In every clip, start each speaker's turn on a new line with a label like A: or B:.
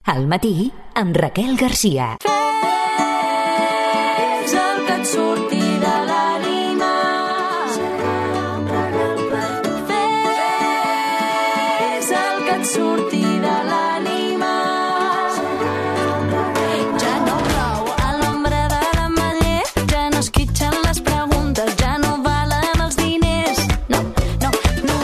A: Al matí, amb Raquel Garcia.
B: Fes el que et surti de l'ànima. Fes el que et surti de l'ànima. Ja no plou a l'ombra de l'ametller, ja no esquitxen les preguntes, ja no valen els diners. No,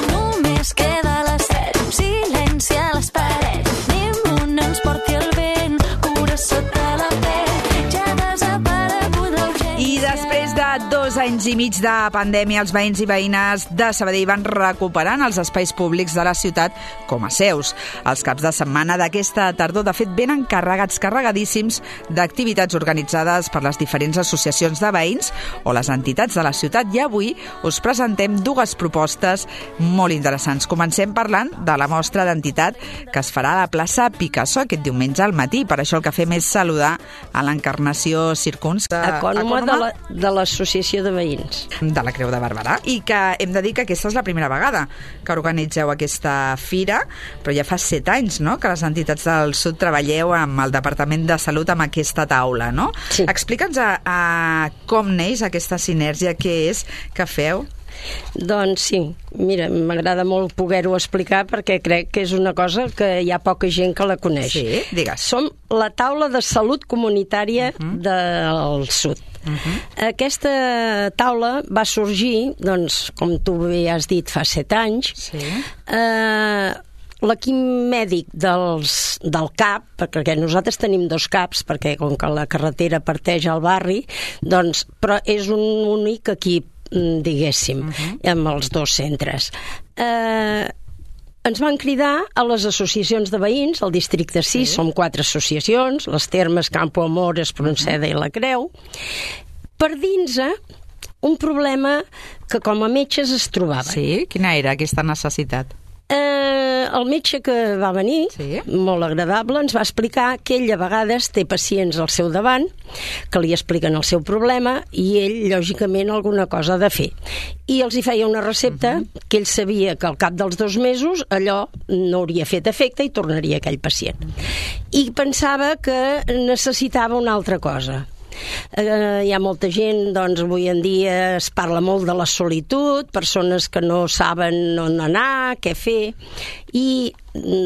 B: només queda la set, silenci a les parets, ni un ens porti el vent, cura sota la pell, ja ha desaparegut l'urgència.
C: I després de 2 anys i mig de pandèmia, els veïns i veïnes de Sabadell van recuperant els espais públics de la ciutat com a seus. Els caps de setmana d'aquesta tardor, de fet, venen carregadíssims d'activitats organitzades per les diferents associacions de veïns o les entitats de la ciutat. I avui us presentem 2 propostes molt interessants. Comencem parlant de la mostra d'entitat que es farà a la plaça Picasso aquest diumenge al matí. Per això el que fem és saludar a l'Encarnació Circuns,
D: ecònoma de l'Associació de Veïns
C: de la Creu de Barberà, i que hem de dir que aquesta és la primera vegada que organitzeu aquesta fira, però ja fa 7 anys, no?, que les entitats del Sud treballeu amb el Departament de Salut amb aquesta taula, no?
D: Sí.
C: Explica'ns com neix aquesta sinergia, què és que feu?
D: Doncs sí, mira, m'agrada molt poder-ho explicar perquè crec que és una cosa que hi ha poca gent que la coneix.
C: Sí, digues.
D: Som la taula de salut comunitària del Sud. Aquesta taula va sorgir, doncs, com tu bé has dit, fa 7 anys.
C: Sí.
D: L'equip mèdic del CAP, perquè nosaltres tenim 2 CAPs, perquè com que la carretera parteix al barri, doncs, però és un únic equip, diguéssim, amb els 2 centres. Ens van cridar a les associacions de veïns, al districte 6, som 4 associacions, les Termes, Campo Amor, Espronceda i la Creu, per dins un problema que com a metges es trobava.
C: Sí? Quina era aquesta necessitat?
D: El metge que va venir,
C: sí,
D: molt agradable, ens va explicar que ell a vegades té pacients al seu davant que li expliquen el seu problema i ell, lògicament, alguna cosa ha de fer. I els hi feia una recepta que ell sabia que al cap dels 2 mesos allò no hauria fet efecte i tornaria aquell pacient. I pensava que necessitava una altra cosa. Hi ha molta gent, doncs avui en dia es parla molt de la solitud, persones que no saben on anar, què fer, i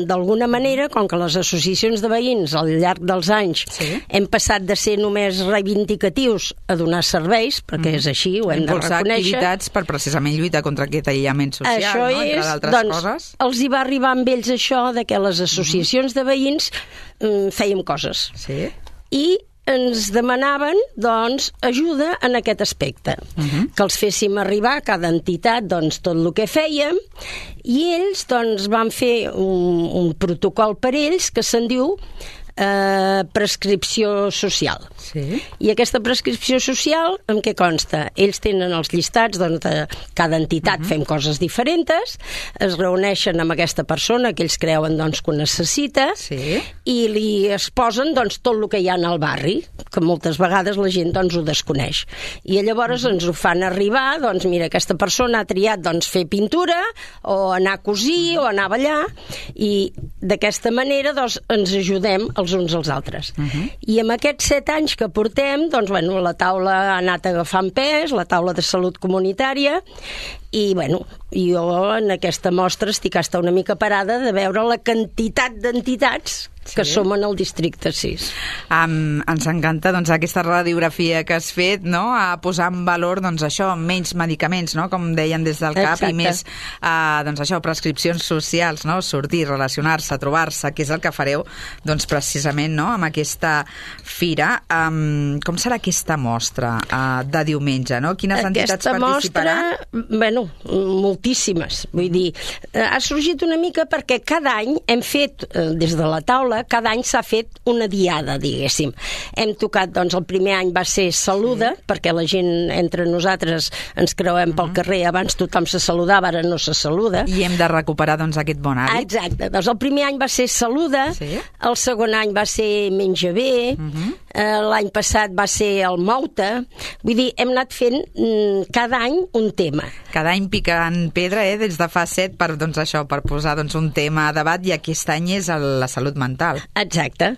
D: d'alguna manera, com que les associacions de veïns al llarg dels anys hem passat de ser només reivindicatius a donar serveis, perquè és així, ho hem de reconèixer. Impulsar activitats
C: per precisament lluitar contra aquest aïllament social,
D: això
C: no? Entre d'altres coses.
D: Els hi va arribar amb ells això de que les associacions de veïns fèiem coses.
C: Sí.
D: I ens demanaven, doncs, ajuda en aquest aspecte, que els féssim arribar a cada entitat, doncs, tot el que fèiem, i ells, doncs, van fer un protocol per ells que se'n diu prescripció social.
C: Sí.
D: I aquesta prescripció social, en què consta? Ells tenen els llistats, doncs, de cada entitat fem coses diferents, es reuneixen amb aquesta persona que ells creuen, doncs, que ho necessita, i li exposen, doncs, tot el que hi ha al barri, que moltes vegades la gent, doncs, ho desconeix. I llavors ens ho fan arribar, doncs, mira, aquesta persona ha triat, doncs, fer pintura, o anar a cosir, o anar a ballar, i d'aquesta manera, doncs, ens ajudem els uns als altres. I amb aquests 7 anys que portem, doncs, bueno, la taula ha anat agafant pes, la taula de salut comunitària, i, bueno, jo en aquesta mostra estic hasta una mica parada de veure la quantitat d'entitats que som en el districte 6.
C: Ens encanta, doncs, aquesta radiografia que has fet, no?, a posar en valor, doncs, això, menys medicaments, no?, com deien des del CAP, i més, doncs, això, prescripcions socials, no?, sortir, relacionar-se, trobar-se, que és el que fareu, doncs, precisament, no?, amb aquesta fira. Com serà aquesta mostra de diumenge, no? Quines entitats participaran?
D: Aquesta mostra, bueno, moltíssimes, vull dir, ha sorgit una mica perquè cada any hem fet, des de la taula, cada any s'ha fet una diada, diguéssim. Hem tocat, doncs, el primer any va ser Saluda, perquè la gent entre nosaltres ens creuem pel carrer, abans tothom se saludava, ara no se saluda.
C: I hem de recuperar, doncs, aquest bon hàbit.
D: Exacte, doncs el primer any va ser Saluda, el segon any va ser Menja Bé, l'any passat va ser el Mouta, vull dir, hem anat fent cada any un tema.
C: Cada any picant pedra, des de fa 7, per, doncs, això, per posar un tema a debat, i aquest any és la salut mental.
D: Exacte.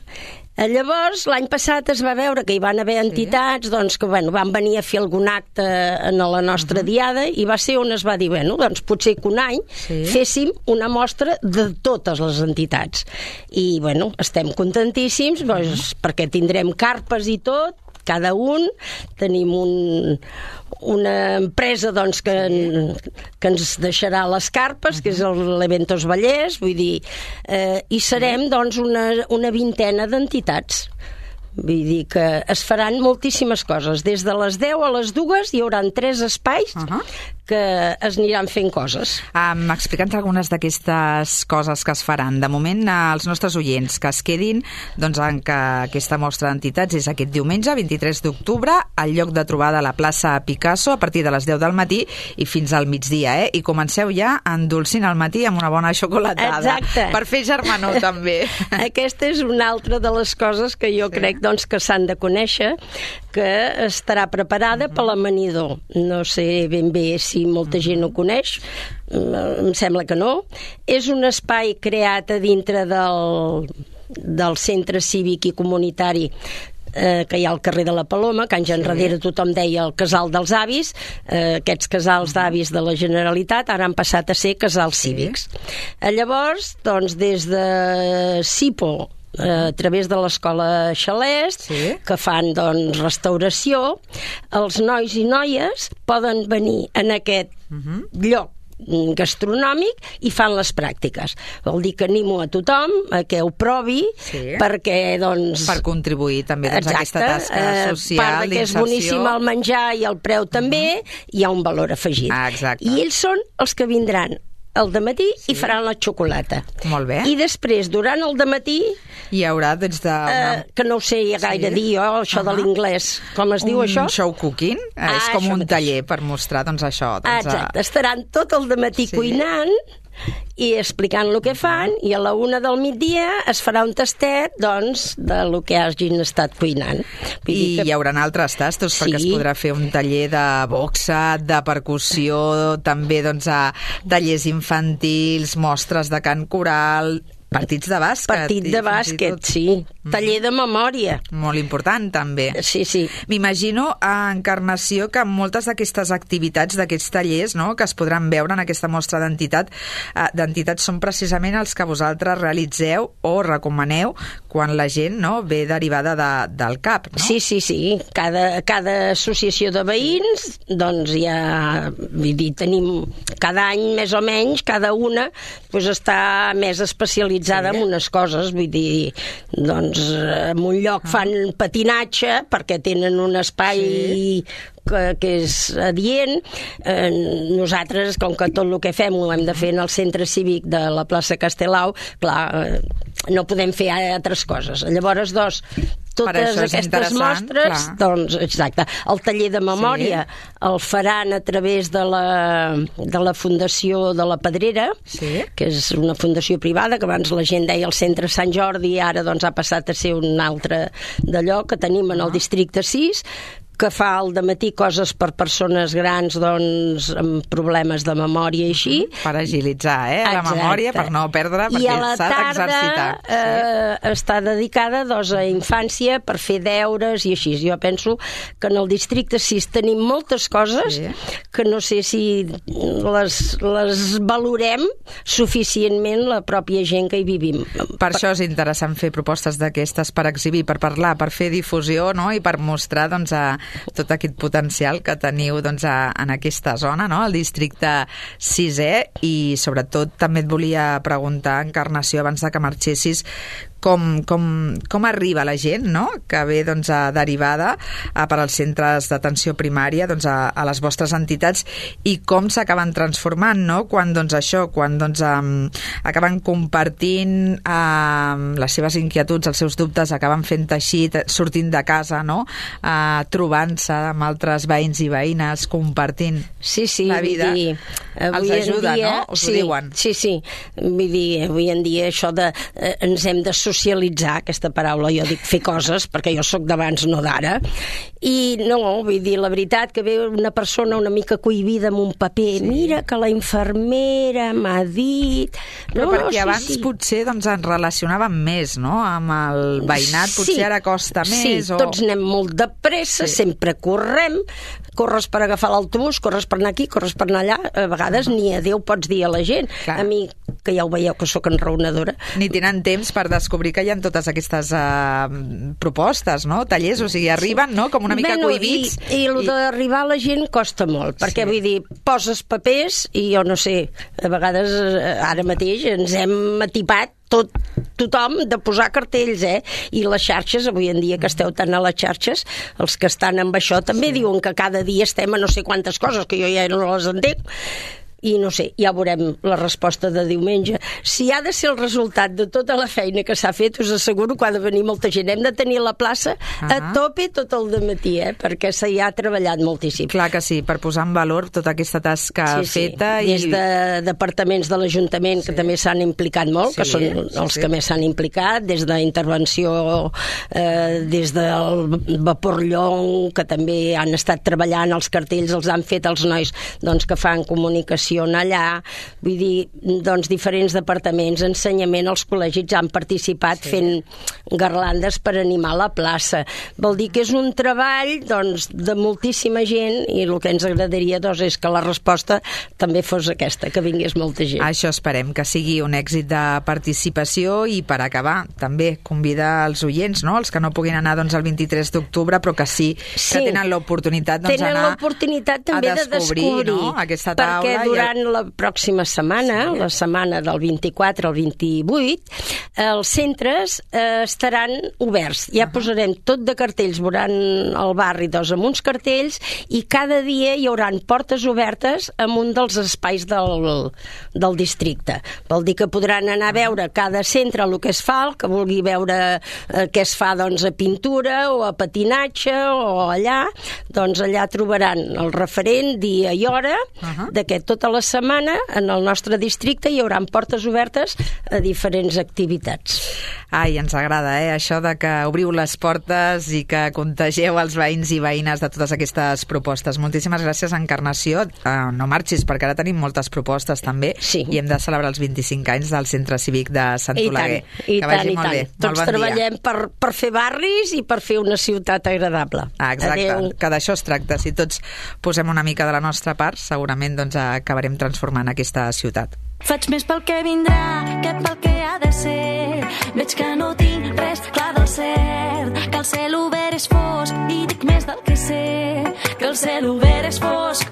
D: Llavors, l'any passat es va veure que hi van haver entitats doncs, que van venir a fer algun acte en la nostra diada, i va ser on es va dir, doncs potser que un any féssim una mostra de totes les entitats. I, estem contentíssims, doncs, perquè tindrem carpes i tot, cada un, tenim una empresa doncs, que ens deixarà les carpes, que és l'Eventos Vallès, vull dir, i serem doncs, una vintena d'entitats. Vull dir que es faran moltíssimes coses. Des de les 10 a les 2 hi haurà 3 espais que es aniran fent coses.
C: Explica'ns algunes d'aquestes coses que es faran. De moment, als nostres oients que es quedin en que aquesta mostra d'entitats és aquest diumenge, 23 d'octubre, al lloc de trobada a la plaça Picasso, a partir de les 10 del matí i fins al migdia, I comenceu ja endolcint al matí amb una bona xocolatada.
D: Exacte.
C: Per fer germanor, també.
D: Aquesta és una altra de les coses que jo crec doncs, que s'han de conèixer, que estarà preparada per l'amanidor. No sé ben bé si molta gent ho coneix, em sembla que no. És un espai creat a dintre del centre cívic i comunitari que hi ha al carrer de la Paloma, que anys enrere tothom deia el casal dels avis. Aquests casals d'avis de la Generalitat ara han passat a ser casals cívics. Llavors, doncs, des de SIPO, a través de l'escola Xalest, que fan doncs, restauració, els nois i noies poden venir en aquest lloc gastronòmic i fan les pràctiques. Vol dir que animo a tothom a que ho provi, perquè doncs...
C: Per contribuir també a aquesta tasca social,
D: part que és boníssim el menjar i el preu també, hi ha un valor afegit. I ells són els que vindran al dematí i faran la xocolata.
C: Molt bé.
D: I després, durant el dematí,
C: hi haurà des de...
D: que no ho sé gaire dir jo, això de l'inglès. Com es diu això?
C: Un show cooking. És com un taller per mostrar doncs això.
D: Exacte. Estaran tot el dematí cuinant i explicant el que fan, i a la 1 del migdia es farà un tastet doncs, de lo que hagin estat cuinant.
C: I hi haurà altres tastos, perquè es podrà fer un taller de boxa, de percussió, també doncs, tallers infantils, mostres de cant coral, partits de bàsquet.
D: Partit de bàsquet, sí. Taller de memòria.
C: Molt important, també.
D: Sí, sí.
C: M'imagino, Encarnació, que moltes d'aquestes activitats, d'aquests tallers, que es podran veure en aquesta mostra d'entitats són precisament els que vosaltres realitzeu o recomaneu quan la gent ve derivada del CAP, no?
D: Sí, sí, sí. Cada associació de veïns, doncs ja, vull dir, tenim cada any més o menys, cada una està més especialitzada en unes coses, vull dir, doncs en un lloc fan patinatge perquè tenen un espai que és adient. Nosaltres, com que tot el que fem ho hem de fer en el centre cívic de la plaça Castelau, clar, no podem fer altres coses. Llavors, totes aquestes mostres, doncs, exacte, el taller de memòria el faran a través de la Fundació de la Pedrera, que és una fundació privada, que abans la gent deia el Centre Sant Jordi, i ara doncs ha passat a ser un altre d'allò que tenim en el districte 6, que fa al dematí coses per persones grans doncs, amb problemes de memòria i així.
C: Per agilitzar la memòria, per no perdre, perquè s'ha d'exercitar.
D: I a la tarda està dedicada a infància per fer deures i així. Jo penso que en el districte 6 tenim moltes coses que no sé si les valorem suficientment la pròpia gent que hi vivim.
C: Per això és interessant fer propostes d'aquestes per exhibir, per parlar, per fer difusió, i per mostrar doncs, tot aquest potencial que teniu doncs, en aquesta zona, al districte 6è, i sobretot també et volia preguntar, Encarnació, abans de que marxessis, com arriba la gent que ve doncs, derivada per als centres d'atenció primària a les vostres entitats, i com s'acaben transformant quan acaben compartint les seves inquietuds, els seus dubtes, acaben fent teixit, sortint de casa, trobant-se amb altres veïns i veïnes, compartint la vida. Els ajuda, us ho diuen.
D: Sí, sí. Vull dir, avui en dia això de ens hem d'associar socialitzar, aquesta paraula, jo dic fer coses, perquè jo sóc d'abans, no d'ara, i no, vull dir, la veritat que ve una persona una mica cohibida amb un paper, mira que la infermera m'ha dit...
C: Però perquè abans potser ens relacionàvem més, no?, amb el veïnat, potser ara costa més.
D: Sí, tots anem molt de pressa, sempre correm, corres per agafar l'autobús, corres per anar aquí, corres per anar allà, a vegades ni adéu pots dir a la gent. A mi, que ja ho veieu que sóc enraonadora.
C: Ni tenen temps per descobrir que hi ha totes aquestes propostes, no?, tallers, o sigui, arriben, no?, com una mica cohibits.
D: I el d'arribar a la gent costa molt, perquè vull dir, poses papers i jo no sé, a vegades ara mateix ens hem atipat tothom de posar cartells, i les xarxes, avui en dia que esteu tant a les xarxes, els que estan amb això també diuen que cada dia estem a no sé quantes coses, que jo ja no les entenc, i no sé, ja veurem la resposta de diumenge. Si ha de ser el resultat de tota la feina que s'ha fet, us asseguro que ha de venir molta gent. Hem de tenir la plaça a tope tot el dematí, perquè s'hi ha treballat moltíssim.
C: Clar que sí, per posar en valor tota aquesta tasca feta.
D: Des de departaments de l'Ajuntament, que també s'han implicat molt, que són els que més s'han implicat, des d'intervenció, des del Vapor Llong, que també han estat treballant els cartells, els han fet els nois que fan comunicació allà, vull dir, diferents departaments, ensenyament, els col·legis han participat fent garlandes per animar la plaça. Vol dir que és un treball de moltíssima gent, i el que ens agradaria és que la resposta també fos aquesta, que vingués molta gent.
C: Això esperem, que sigui un èxit de participació, i per acabar també convidar els oients, no?, els que no puguin anar el 23 d'octubre, però que sí que tenen l'oportunitat d'anar
D: tenen l'oportunitat també de descobrir,
C: no?, aquesta taula.
D: Perquè durant la pròxima setmana, la setmana del 24 al 28, els centres estaran oberts. Ja posarem tot de cartells, veuran el barri amb uns cartells, i cada dia hi haurà portes obertes en un dels espais del districte. Vol dir que podran anar a veure cada centre el que es fa, el que vulgui veure què es fa a pintura o a patinatge o allà, allà trobaran el referent, dia i hora, que tota la setmana en el nostre districte hi haurà portes obertes a diferents activitats.
C: Ai, ens agrada, això de que obriu les portes i que contegeu els veïns i veïnes de totes aquestes propostes. Moltíssimes gràcies, Encarnació. No marxis, perquè ara tenim moltes propostes també, i hem de celebrar els 25 anys del Centre Cívic de Sant Oleguer.
D: I tant. Tots treballem per fer barris i per fer una ciutat agradable.
C: Exacte, que d'això es tracta. Si tots posem una mica de la nostra part, segurament acabarem transformant aquesta ciutat.
B: Faig més pel que vindrà que pel que ha de ser. Veig que no tinc res clar del cert, que el cel obert és fosc, i dic més del que sé, que el cel obert és fosc.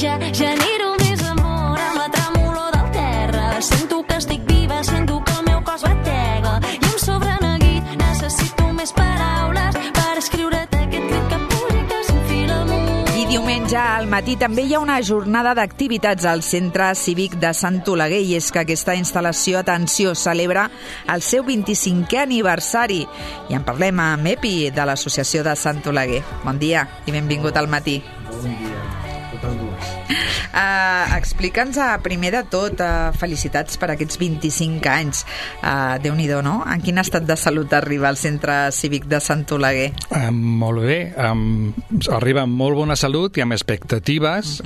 B: Ja genero més amor amb la tremolor del terra. Sento que estic viva, sento que el meu cos batega, i em sobra neguit, necessito més paraules per escriure't aquest crit que puja i que s'enfila amunt.
C: Diumenge al matí també hi ha una jornada d'activitats al Centre Cívic de Sant Oleguer, i és que aquesta instal·lació, atenció, celebra el seu 25è aniversari. I en parlem amb Epi, de l'Associació de Sant Oleguer. Bon dia i benvingut al matí.
E: Bon dia.
C: Explica'ns primer de tot, felicitats per aquests 25 anys. Déu-n'hi-do, no? En quin estat de salut arriba al Centre Cívic de Sant Oleguer?
E: Molt bé, arriba amb molt bona salut i amb expectatives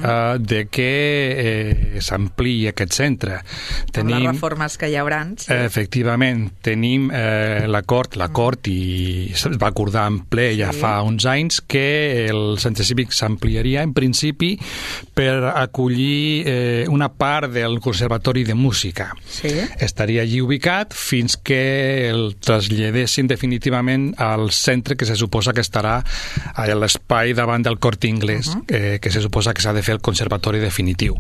E: de que s'ampliï aquest centre.
C: Amb les reformes que hi haurà. Sí.
E: Efectivament, tenim l'acord i es va acordar en ple ja fa uns anys que el Centre Cívic s'ampliaria en principi per acollir una part del Conservatori de Música.
C: Sí.
E: Estaria allí ubicat fins que el traslladessin definitivament al centre que se suposa que estarà a l'espai davant del Corte Inglés, que se suposa que s'ha de fer el conservatori definitiu.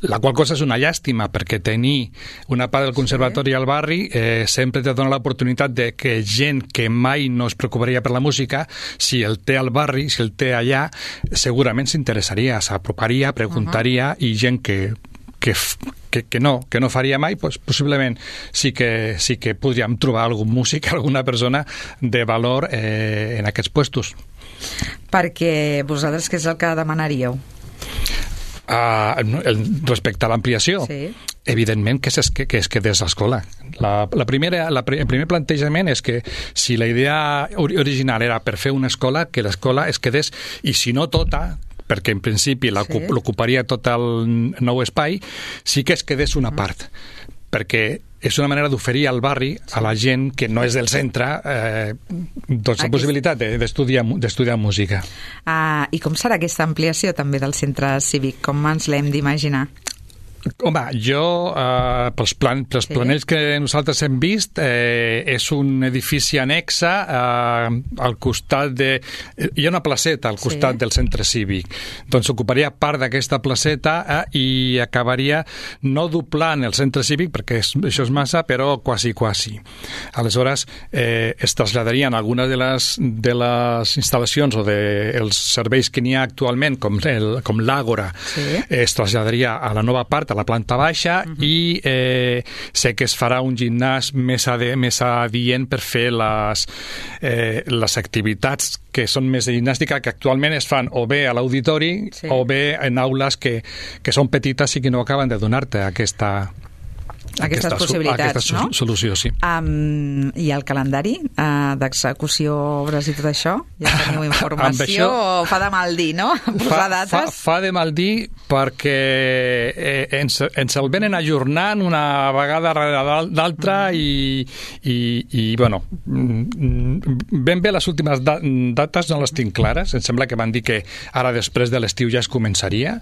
E: La qual cosa és una llàstima, perquè tenir una part del conservatori al barri sempre te dona l'oportunitat de que gent que mai no es preocuparia per la música, si el té al barri, si el té allà, segurament s'interessaria, s'aproparia, preguntaria, i gent que no faria mai, doncs possiblement sí que podríem trobar algun músic, alguna persona de valor en aquests puestos.
C: Perquè vosaltres què és el que demanaríeu?
E: Respecte a l'ampliació,
C: sí.
E: evidentment que es quedés a l'escola. El primer plantejament és que si la idea original era per fer una escola, que l'escola es quedés, i si no tota, perquè en principi l'ocuparia tot el nou espai, sí que es quedés una part, perquè és una manera d'oferir al barri a la gent que no és del centre doncs la possibilitat d'estudiar música.
C: I com serà aquesta ampliació també del centre cívic? Com ens l'hem d'imaginar?
E: Home, jo, pels planells que nosaltres hem vist, és un edifici annexe al costat de... Hi ha una placeta al costat del centre cívic. Doncs ocuparia part d'aquesta placeta i acabaria no doblant el centre cívic, perquè això és massa, però quasi. Aleshores, es traslladarien algunes de les instal·lacions o dels serveis que n'hi ha actualment, com l'Àgora, es traslladaria a la nova part, a la planta baixa, i sé que es farà un gimnàs més adient per fer les activitats que són més de gimnàstica, que actualment es fan o bé a l'auditori o bé en aules que són petites i que no acaben de donar-te aquestes possibilitats, no? Solució, sí.
C: I el calendari d'execució, obres i tot això? Ja teniu informació o fa de mal dir, no? Posar dates?
E: Fa de mal dir perquè ens el venen ajornant una vegada darrere l'altra i bueno, ben bé les últimes dates no les tinc clares. Em sembla que van dir que ara després de l'estiu ja es començaria.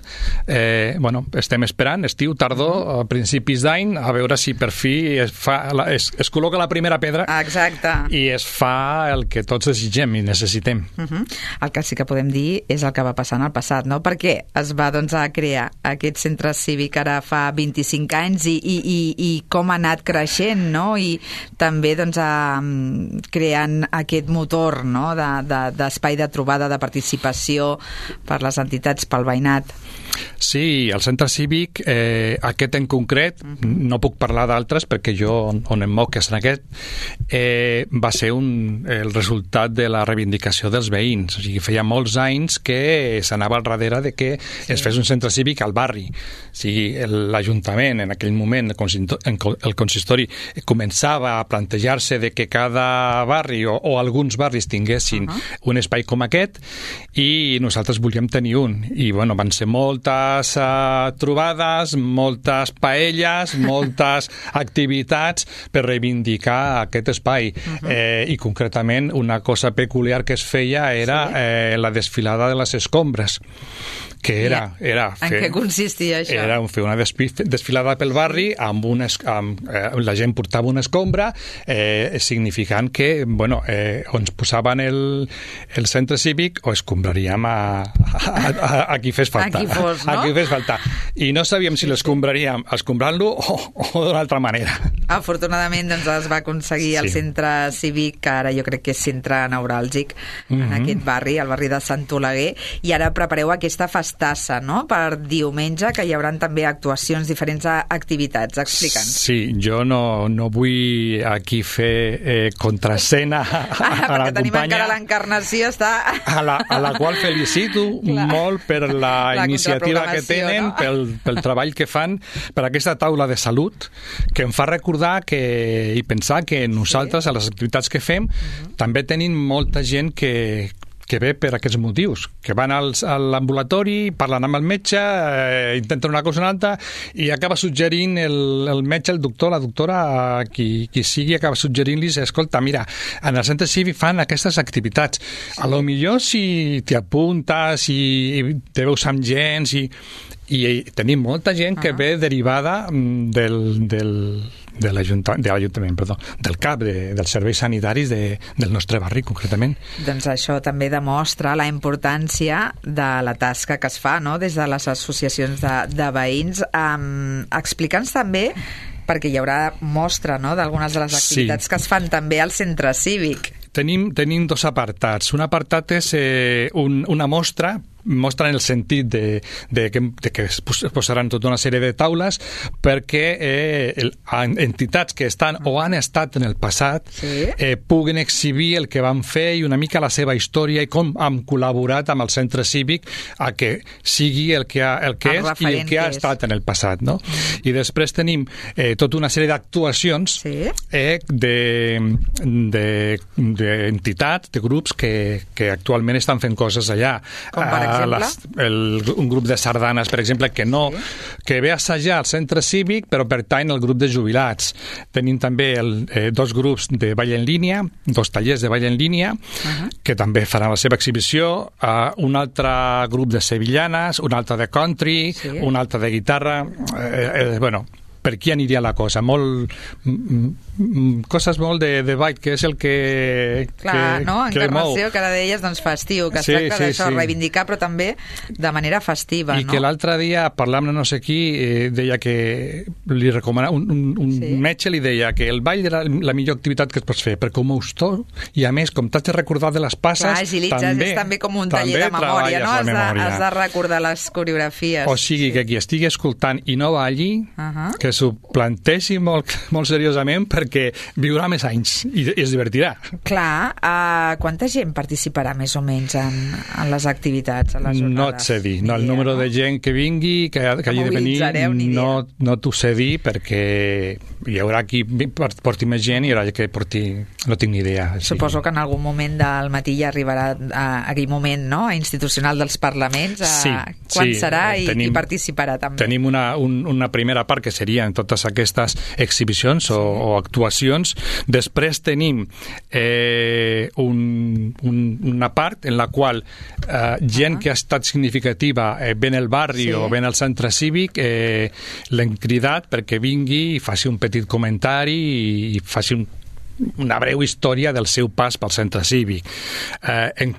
E: Bueno, estem esperant, estiu, tardor, a principis d'any, a veure si per fi es col·loca la primera pedra.
C: Exacte.
E: I es fa el que tots desitgem i necessitem.
C: El que sí que podem dir és el que va passar en el passat, no? Perquè es va a crear aquest centre cívic ara fa 25 anys i com ha anat creixent, no? I també creant aquest motor, no? D'espai de trobada, de participació per les entitats, pel veïnat.
E: Sí, el centre cívic, aquest en concret, no puc parlar d'altres perquè jo on em moc és en aquest, va ser el resultat de la reivindicació dels veïns. O sigui, feia molts anys que s'anava al darrere de que es fes un centre cívic al barri. O sigui, l'Ajuntament, en aquell moment, el consistori, començava a plantejar-se de que cada barri o alguns barris tinguessin un espai com aquest, i nosaltres volíem tenir un. I, bueno, van ser moltes trobades, moltes paelles, moltes activitats per reivindicar aquest espai. I concretament una cosa peculiar que es feia era la desfilada de les escombres, que era
C: en què consistia això?
E: Era fer una desfilada pel barri amb la gent portava una escombra, significant que bueno, o ens posaven el centre cívic o escombraríem a qui fes falta. A qui fes falta. I no sabíem si l'escombraríem escombrant-lo o d'una altra manera.
C: Afortunadament es va aconseguir el centre cívic, que ara jo crec que és centre neuràlgic en aquest barri, el barri de Sant Oleguer, i ara prepareu aquesta festassa, no?, per diumenge, que hi haurà també actuacions, diferents activitats. Explica'ns.
E: Sí, jo no vull aquí fer contraescena a la companya.
C: Perquè tenim encara l'encarnació, està... A
E: la qual felicito molt per la iniciativa que tenen, no? pel treball que fan, per aquesta taula de salut, que em fa recordar i pensar que nosaltres, a les activitats que fem, també tenim molta gent que ve per aquests motius, que van a l'ambulatori, parlen amb el metge, intenten una cosa o una altra, i acaba suggerint el metge, el doctor, la doctora, qui sigui, acaba suggerint-los, escolta, mira, en el centre cívic fan aquestes activitats. A lo millor si t'hi apuntes i te veus amb gent, i tenim molta gent que ve derivada de l'Ajuntament, del CAP, dels serveis sanitaris del nostre barri, concretament.
C: Doncs això també demostra la importància de la tasca que es fa, no?, des de les associacions de veïns. Explica'ns també, perquè hi haurà mostra, no?, d'algunes de les activitats que es fan també al centre cívic.
E: Tenim dos apartats. Un apartat és una mostra mostren el sentit de que es posaran tota una sèrie de taules perquè entitats que estan o han estat en el passat puguin exhibir el que van fer i una mica la seva història i com han col·laborat amb el centre cívic a que sigui el que és i el que ha estat en el passat, no? I després tenim tota una sèrie d'actuacions d'entitats, de grups que actualment estan fent coses allà.
C: Com per exemple?
E: Un grup de sardanes, per exemple, que ve a assajar al centre cívic però pertany al grup de jubilats. Tenim també dos grups de ball en línia, dos tallers de ball en línia, que també faran la seva exhibició, un altre grup de sevillanes, un altre de country, un altre de guitarra. Bueno, per aquí aniria la cosa, coses molt de ball, que és el que
C: clar, no? Encarnació, que ara deies, doncs festiu, que es tracta d'això, reivindicar, però també de manera festiva,
E: I que l'altre dia, parlant amb no sé qui, deia que li recomanava, un metge li deia que el ball era la millor activitat que es pots fer, perquè com us i a més, com t'has de recordar de les passes,
C: és també com un taller de memòria, no? Has de recordar les coreografies.
E: O sigui, que qui estigui escoltant i no balli, que s'ho planteixi molt seriosament, perquè viurà més anys i es divertirà.
C: Clar, quanta gent participarà més o menys en les activitats, a les jornades?
E: No et sé dir, el número de gent que vingui, que hagi de venir, no t'ho sé dir, perquè hi haurà qui porti més gent i hi haurà qui porti... No tinc ni idea.
C: Suposo que en algun moment del matí ja arribarà aquell moment, no?, institucional dels parlaments, quan serà i participarà també.
E: Tenim una primera part que serien totes aquestes exhibicions o actuacions. Després tenim una part en la qual gent que ha estat significativa ven el barri o ven el centre cívic, l'hem cridat perquè vingui i faci un petit comentari i faci una breu història del seu pas pel centre cívic. Hem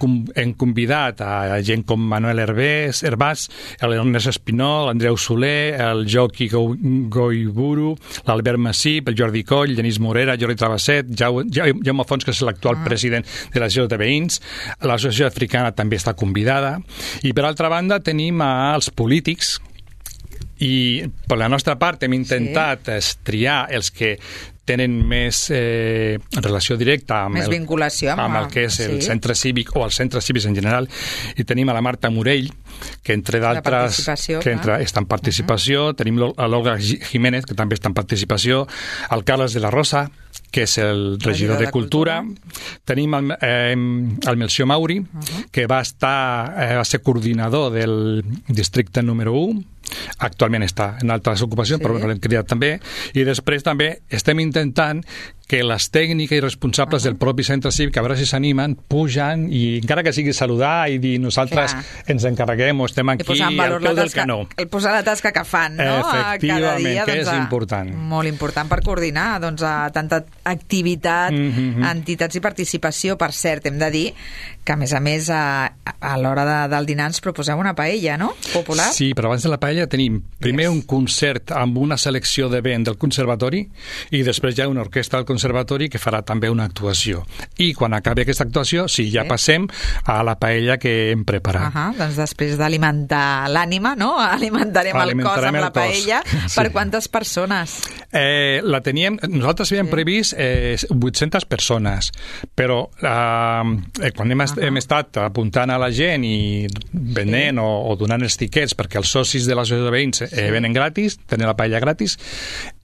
E: convidat a gent com Manuel Herbàs, l'Ernest Espinol, l'Andreu Soler, el Joqui Goiburu, l'Albert Massip, el Jordi Coll, Genís Morera, Jordi Travesset, Jaume Fons, que és l'actual president de l'Associació de Veïns, l'Associació Africana també està convidada, i per altra banda tenim els polítics, i per la nostra part hem intentat triar els que tenen més relació directa amb el que és el centre cívic o els centres cívics en general, i tenim a la Marta Morell, que entre d'altres està en participació, tenim l'Olga Jiménez, que també està en participació, el Carles de la Rosa, que és el regidor de Cultura. Tenim el Melcior Mauri, que va ser coordinador del districte número 1, actualment està en altres ocupacions, però l'hem cridat també, i després també estem intentant que les tècniques i responsables del propi centre cívic, a veure si s'animen, pugen, i encara que sigui saludar i dir nosaltres ens encarreguem o estem aquí al peu del canó.
C: El posar la tasca que fan, no?
E: Efectivament, que és important.
C: Molt important per coordinar tanta activitat, entitats i participació. Per cert, hem de dir que, a més, a l'hora del dinar ens proposeu una paella, no? Popular.
E: Sí, però abans de la paella tenim primer un concert amb una selecció de vent del conservatori i després hi ha una orquestra del conservatori que farà també una actuació. I quan acabi aquesta actuació, ja passem a la paella que hem preparat.
C: Doncs després d'alimentar l'ànima, no? Alimentarem el cos amb la paella. Per quantes persones?
E: Nosaltres havíem previst 800 persones, però quan hem estat apuntant a la gent i venent o donant els tiquets perquè els socis de l'associació de veïns venen gratis, tenen la paella gratis,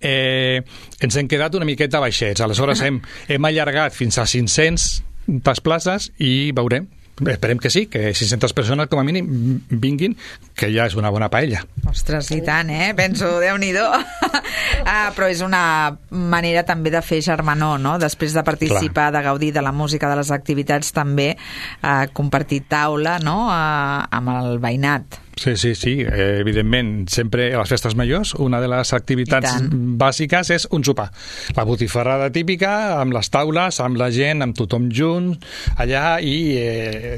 E: ens hem quedat una miqueta baixets. Aleshores hem allargat fins a 500 places i veurem. Esperem que sí, que 600 persones com a mínim vinguin, que ja és una bona paella.
C: Ostres, i tant, penso, Déu-n'hi-do. Però és una manera també de fer germanor, no? Després de participar, de gaudir de la música, de les activitats, també compartir taula, no?, amb el veïnat.
E: Sí, evidentment, sempre a les festes majors una de les activitats bàsiques és un sopar. La botifarrada típica, amb les taules, amb la gent, amb tothom junt, allà, i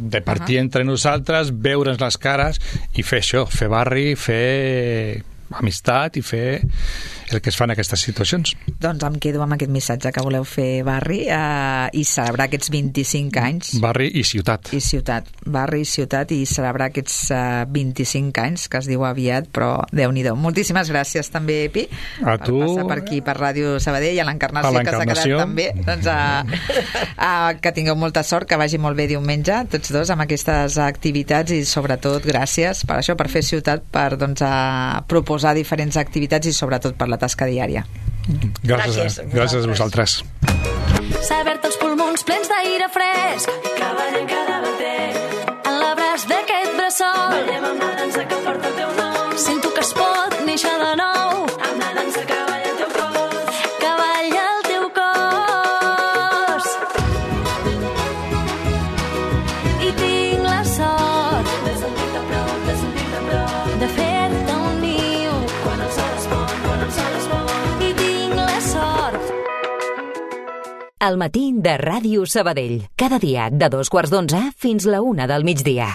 E: de partir entre nosaltres, veure'ns les cares i fer això, fer barri, fer amistat i fer el que es fa en aquestes situacions.
C: Doncs em quedo amb aquest missatge que voleu fer, Barri, i celebrar aquests 25 anys.
E: Barri i ciutat.
C: I ciutat. Barri i ciutat, i celebrar aquests 25 anys, que es diu aviat, però Déu-n'hi-do. Moltíssimes gràcies també, Epi,
E: a tu,
C: per passar per aquí, per Ràdio Sabadell, i a l'Encarnació, que s'ha quedat també. Doncs que tingueu molta sort, que vagi molt bé diumenge, tots dos, amb aquestes activitats, i sobretot gràcies per això, per fer ciutat, per proposar diferents activitats i sobretot per la tasca diària.
E: Gràcies a vosaltres.
B: Saber-te els pulmons plens d'aire fresc, cavallem cada bater en l'abraç d'aquest bressol, ballem amb la dansa que porta el teu nom, sento que es pot néixer de nou amb la dansa que balla el teu cos, que balla el teu cos, i tinc la sort de sentir-te a prop, de fer-te un niu quan el sol es pon, i tinc la sort.
A: El matí de Ràdio Sabadell. Cada dia de 2:15 fins la 1 del migdia.